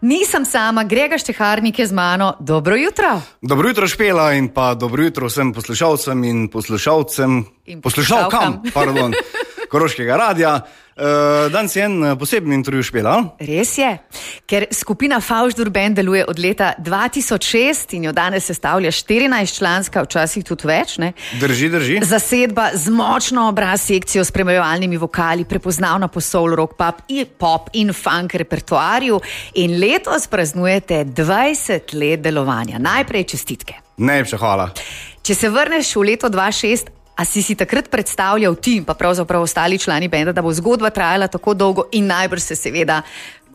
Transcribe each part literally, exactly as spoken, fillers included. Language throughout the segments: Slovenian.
Nisem sama, Grega Šteharnik je z mano. Dobro jutro. Dobro jutro, Špela, in pa dobro jutro vsem poslušalcem in poslušalcem, in poslušalkam, pardon, Koroškega radia. Uh, danes je en poseben intervju, Špela. Res je, ker skupina Favždur Band deluje od leta dva tisoč šest in jo danes sestavlja štirinajst članska, včasih tudi več, ne? Drži, drži. Zasedba z močno obraz sekcijo s spremljevalnimi vokali, prepoznavna po soul, rock, pop, pop in funk repertoarju, in letos praznujete dvajset let delovanja. Najprej čestitke. Najlepša hvala. Če se vrneš v leto dva tisoč šest, a si si takrat predstavljal ti in pa pravzaprav ostali člani benda, da bo zgodba trajala tako dolgo in najbrž se seveda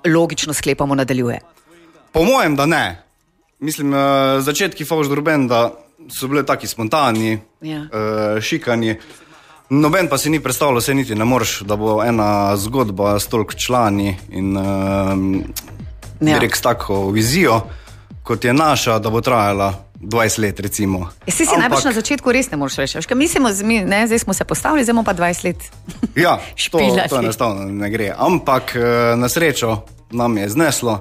logično sklepamo nadaljuje? Po mojem, da ne. Mislim, uh, začetki Favždur Banda so bile taki spontani, ja. uh, šikani. Noben pa si ni predstavljal, se niti ne moreš, da bo ena zgodba s toliko člani in uh, ja. direkt s tako vizijo, kot je naša, da bo trajala dvajset let, recimo. Si si najbrž na začetku res ne moreš reči. Mislimo, ne, zdaj smo se postavili, zdaj bomo pa dvajset let ja, špilali. To, to enostavno ne gre. Ampak na srečo nam je zneslo.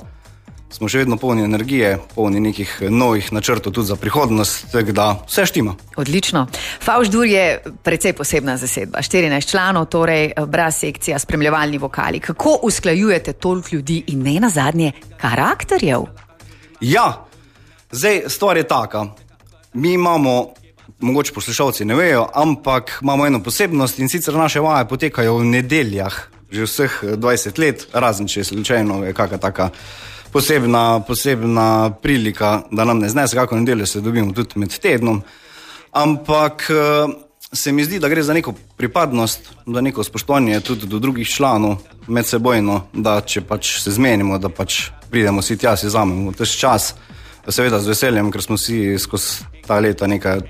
Smo še vedno polni energije, polni nekih novih načrtov tudi za prihodnost, tako da vse štima. Odlično. Favždur je precej posebna zasedba. štirinajst članov, torej bras sekcija, spremljevalni vokali. Kako usklajujete toliko ljudi in ne nazadnje karakterjev? Ja, zdaj stvar je taka. Mi imamo, mogoče poslušalci ne vejo, ampak imamo eno posebnost, in sicer naše vaje potekajo v nedeljah že vseh dvajset let, razen če slučajno je kakšna taka posebna, posebna prilika, da nam ne znese, kako nedeljo se dobimo tudi med tednom. Ampak se mi zdi, da gre za neko pripadnost, da neko spoštovanje tudi do drugih članov medsebojno, da če pač se zmenimo, da pač pridemo si tja, si vzamemo tež čas, seveda z veseljem, ker smo si skozi ta leta nekaj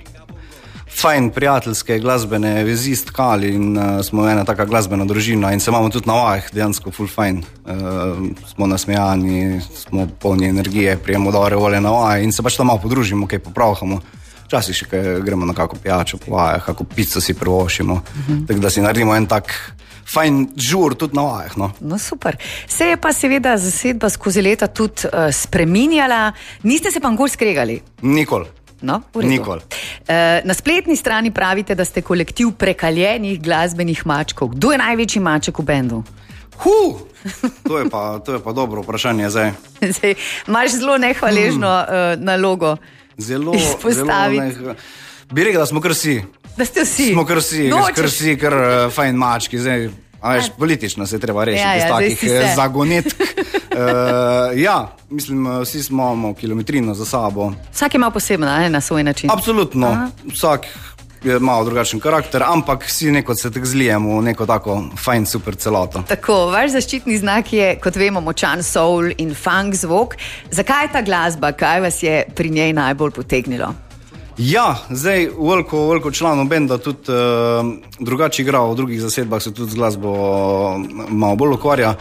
fajn prijateljske glasbene vezi stkali in uh, smo ena taka glasbena družina in se imamo tudi na vajah dejansko ful fajn. Uh, smo nasmejani, smo polni energije, prijemo dobre volje na vaje in se pač tam malo podružimo, kaj popravhamo. Včasih še kaj gremo na kako pijačo po vajah, kako pico si privošimo, uh-huh. tako da si naredimo en tak fajn žur tudi na vajah. No? No super. Se je pa seveda zasedba skozi leta tudi uh, spreminjala. Niste se pa nikoli skregali? Nikoli. No, Nikoli. Uh, na spletni strani pravite, da ste kolektiv prekaljenih glasbenih mačkov. Kdo je največji maček v bendu? Huh, to je pa, to je pa dobro vprašanje zdaj. Zdaj, imaš zelo nehvaležno hmm. uh, nalogo zelo, izpostaviti. Zelo neh... Bi rekel, da smo kar vsi. Da ste vsi. Smo kar vsi, no, kar vsi, kar uh, fajn mački. Zdaj, a veš, politično se treba rešiti ja, ja, iz takih zagonetk. uh, ja, mislim, vsi smo imamo kilometrino za sabo. Vsak ima posebno, ne, na svoj način. Absolutno. Aha. Vsak je malo drugačen karakter, ampak vsi neko se tak zlijemo v neko tako fajn, super celoto. Tako, vaš zaščitni znak je, kot vemo, močan soul in funk zvok. Zakaj je ta glasba? Kaj vas je pri njej najbolj potegnilo? Ja, zdaj veliko, veliko članov benda tudi uh, drugače igra, v drugih zasedbah se tudi z glasbo malo bolj ukvarja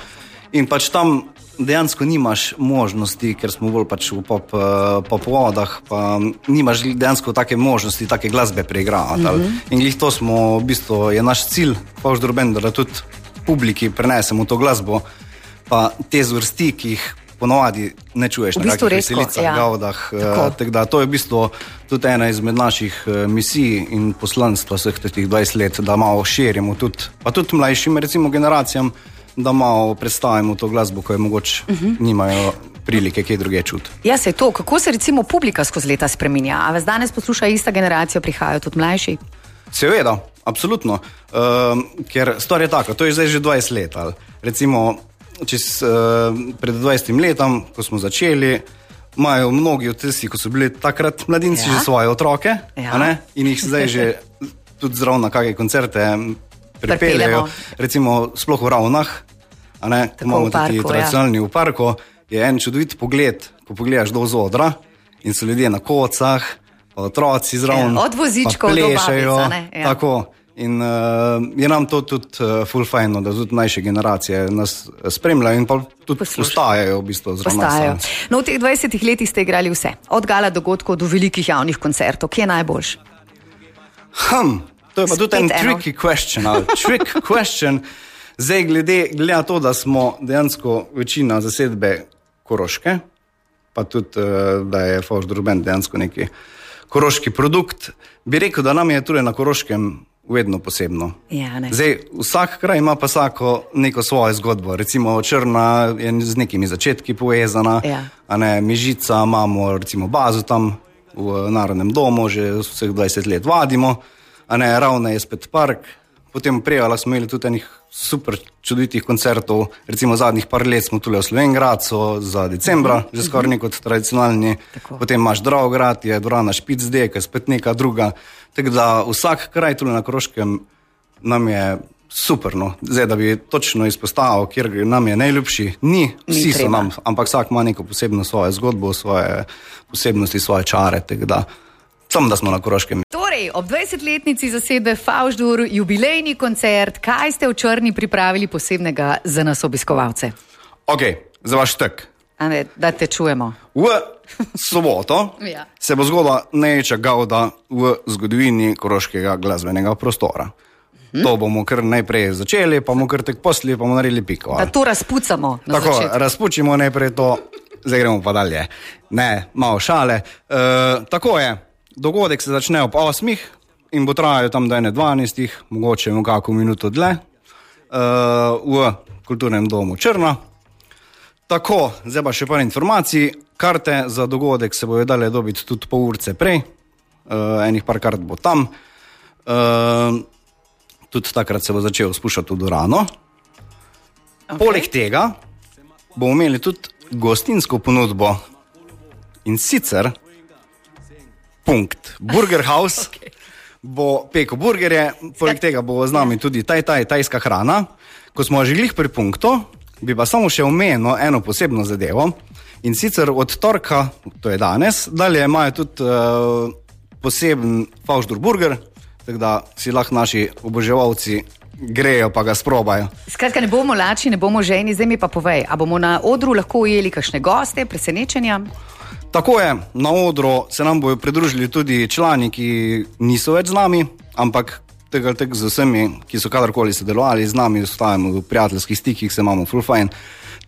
in pač tam dejansko nimaš možnosti, ker smo bolj pač v pop, uh, pop vodah, pa nimaš dejansko take možnosti, take glasbe preigravati. Mm-hmm. In glih to smo, v bistvu je naš cilj Favždur Benda, da tudi publiki prenesemo to glasbo, pa te zvrsti, ki jih ponovadi ne čuješ v na bistvu kakih veselicah, ja. Gavdah. Tako. Tak da, to je v bistvu tudi ena izmed naših misij in poslanstva vseh teh dvajset let, da malo širimo tudi, pa tudi mlajšim recimo generacijam, da malo predstavimo to glasbo, ko je mogoče uh-huh. nimajo prilike kaj druge čuti. Ja, se je to. Kako se recimo publika skozi leta spreminja? A vas danes posluša ista generacija, prihajajo tudi mlajši? Seveda, absolutno. Uh, ker stvar je taka, to je zdaj že dvajset let. Ali. Recimo, čez, uh, pred dvajsetim letom, ko smo začeli, imajo mnogi od tistih, ko so bili takrat mladinci, ja. Že svoje otroke, ja. A ne? In jih zdaj že tudi zraven na kakšne koncerte pripeljajo. Recimo sploh v Ravnah, a ne? Imamo tudi tradicionalni ja. V parku, je en čudovit pogled, ko pogledaš do zodra in so ljudje na kocah, pa otroci zraven, ja, od vozičkov do babica, ne? Ja. Tako. In uh, je nam to tudi uh, ful fajno, da tudi mlajše generacije nas spremljajo in pa tudi postajajo v bistvu zraven nas. No, v teh dvajsetih letih ste igrali vse. Od gala dogodkov do velikih javnih koncertov. Kje je najboljš? Hm, to je pa Spet tudi en eno. tricky question. Ali, trick question. Zdaj glede, glede na to, da smo dejansko večina zasedbe Koroške, pa tudi, da je Favždur bend dejansko neki koroški produkt, bi rekel, da nam je tudi na Koroškem vedno posebno. Ja, ne. Zdaj, vsak kraj ima pa vsako neko svojo zgodbo. Recimo Črna je z nekimi začetki povezana, ja. A ne, Mežica, imamo recimo bazo tam v Narodnem domu, že vseh dvajset let vadimo, a ne, Ravne je spet park, potem Prevala smo imeli tudi enih super čudovitih koncertov, recimo zadnjih par let smo tule v Slovenjgradcu za decembra, uh-huh. že skoraj nek kot tradicionalni, tako. Potem imaš Dravograd, je dvorana Špicdej, ki je spet neka druga, tako da vsak kraj tule na Koroškem nam je super, no. Zdaj, da bi točno izpostavil, kjer nam je najljubši, ni, vsi ni so nam, ampak vsak ima neko posebno svojo zgodbo, svoje posebnosti, svoje čare, tako da samo da smo na Koroškem. Torej, ob dvajsetletnici zasedbe Favždur, jubilejni koncert, kaj ste v Črni pripravili posebnega za nas obiskovalce? Ok, za vaš tek. A ne, da te čujemo. V soboto ja. se bo zgodila največja gauda v zgodovini koroškega glasbenega prostora. Hmm. To bomo kar najprej začeli, pa bomo kar tek posli, pa bomo naredili piko. Da to razpucamo na Tako, začetku. razpučimo najprej to, zdaj gremo pa dalje. Ne, malo šale. E, tako je. Dogodek se začne ob osmih in bo trajal tam do ene dvanajstih, mogoče v kakšno minuto dlje, uh, v Kulturnem domu Črna. Tako, zdaj pa še par informacij. Karte za dogodek se bojo dale dobiti tudi pol urce prej, uh, enih par kart bo tam. Uh, tudi takrat se bo začel spuščati v dvorano. Okay. Poleg tega bomo imeli tudi gostinsko ponudbo in sicer Punkt. Burger House okay. bo peko burgerje, poleg tega bo z nami tudi taj, taj, tajska hrana. Ko smo že glih pri punktu, bi pa samo še omenil eno posebno zadevo in sicer od torka, to je danes, dalje imajo tudi uh, poseben Favždur burger, tako da si lahko naši oboževalci grejo pa ga sprobajo. Skratka, ne bomo lačni, ne bomo ženi, zdaj mi pa povej, a bomo na odru lahko ujeli kakšne goste, presenečenja? Tako je, na odru se nam bojo pridružili tudi člani, ki niso več z nami, ampak tega tek z vsemi, ki so kadarkoli sodelovali z nami, ostajamo v prijateljskih stikih, se imamo full fajn.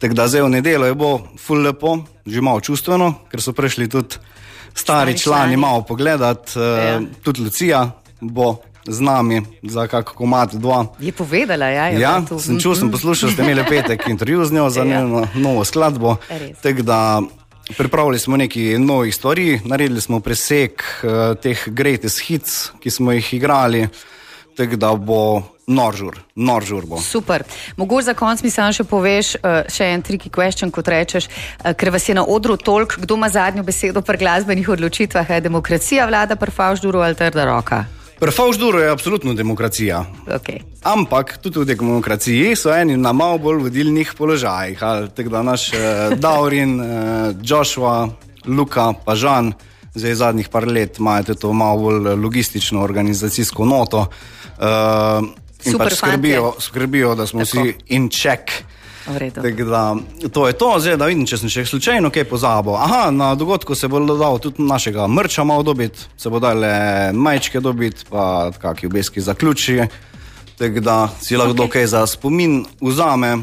Tako da zdaj v nedeljo je bo full lepo, že malo čustveno, ker so prišli tudi stari, stari člani, člani malo pogledat, ja. uh, tudi Lucija bo z nami za kako komad dva. Je povedala, ja? Je ja, sem čul, sem poslušal, ste imeli petek intervju z njo za ja. njeno novo skladbo, tako da pripravili smo nekaj novih stvari, naredili smo presek uh, teh greatest hits, ki smo jih igrali, tako da bo noržur, noržur bo. Super. Mogoče za konc mi sam še poveš, uh, še en tricky question, kot rečeš, uh, ker vas je na odru toliko, kdo ima zadnjo besedo pri glasbenih odločitvah, je demokracija vlada pri Favžduru ali trda roka? Pri Favžduru je absolutno demokracija. Okay. Ampak tudi v demokraciji so eni na malo bolj vodilnih položajih. Tako da naš eh, Daurin, eh, Joshua, Luka, pa Žan, zdaj zadnjih par let imajo to malo bolj logistično organizacijsko noto eh, in pač skrbijo, skrbijo, da smo Tako. vsi in check. Tako da to je to, zdaj da vidim, če sem še slučajno kaj pozabil. Aha, na dogodku se bo dal tudi našega mrča malo dobiti, se bo dale majčke dobiti, pa kakšni obeski zaključi, tako da si lahko okay. kaj za spomin vzame.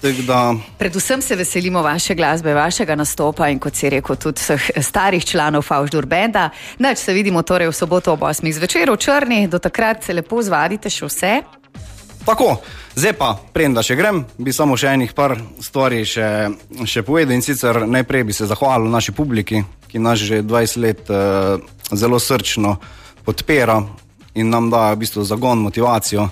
Da... Predvsem se veselimo vaše glasbe, vašega nastopa in kot si rekel, tudi vseh starih članov Favždur benda. Nač se vidimo torej v soboto ob osmih zvečer v Črni, do takrat se lepo zvadite še vse. Tako, zdaj pa, preden še grem, bi samo še enih par stvari še, še povedal in sicer najprej bi se zahvalil naši publiki, ki nas že dvajset let uh, zelo srčno podpira in nam da v bistvu zagon, motivacijo,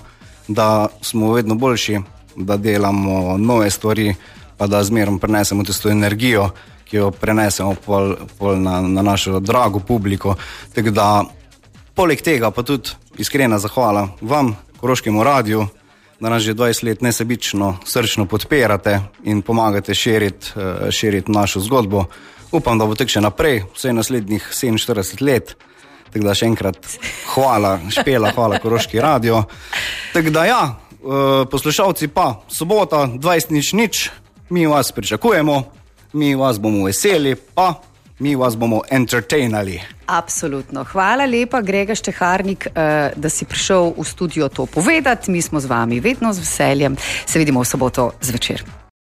da smo vedno boljši, da delamo nove stvari, pa da zmerom prenesemo tisto energijo, ki jo prenesemo pol, pol na, na našo drago publiko. Tako da, poleg tega pa tudi iskrena zahvala vam, Koroškemu radiju, da nas že dvajset let nesebično, srčno podpirate in pomagate širiti, širiti našo zgodbo. Upam, da bo tek še naprej, vse naslednjih sedeminštirideset let. Tako da še enkrat hvala Špela, hvala Koroški radio. Tako da ja, poslušalci pa, sobota, dvajset nič nič, mi vas pričakujemo, mi vas bomo veseli, pa mi vas bomo entertainali. Absolutno. Hvala lepa, Grega Šteharnik, da si prišel v studio to povedati. Mi smo z vami vedno z veseljem. Se vidimo v soboto zvečer.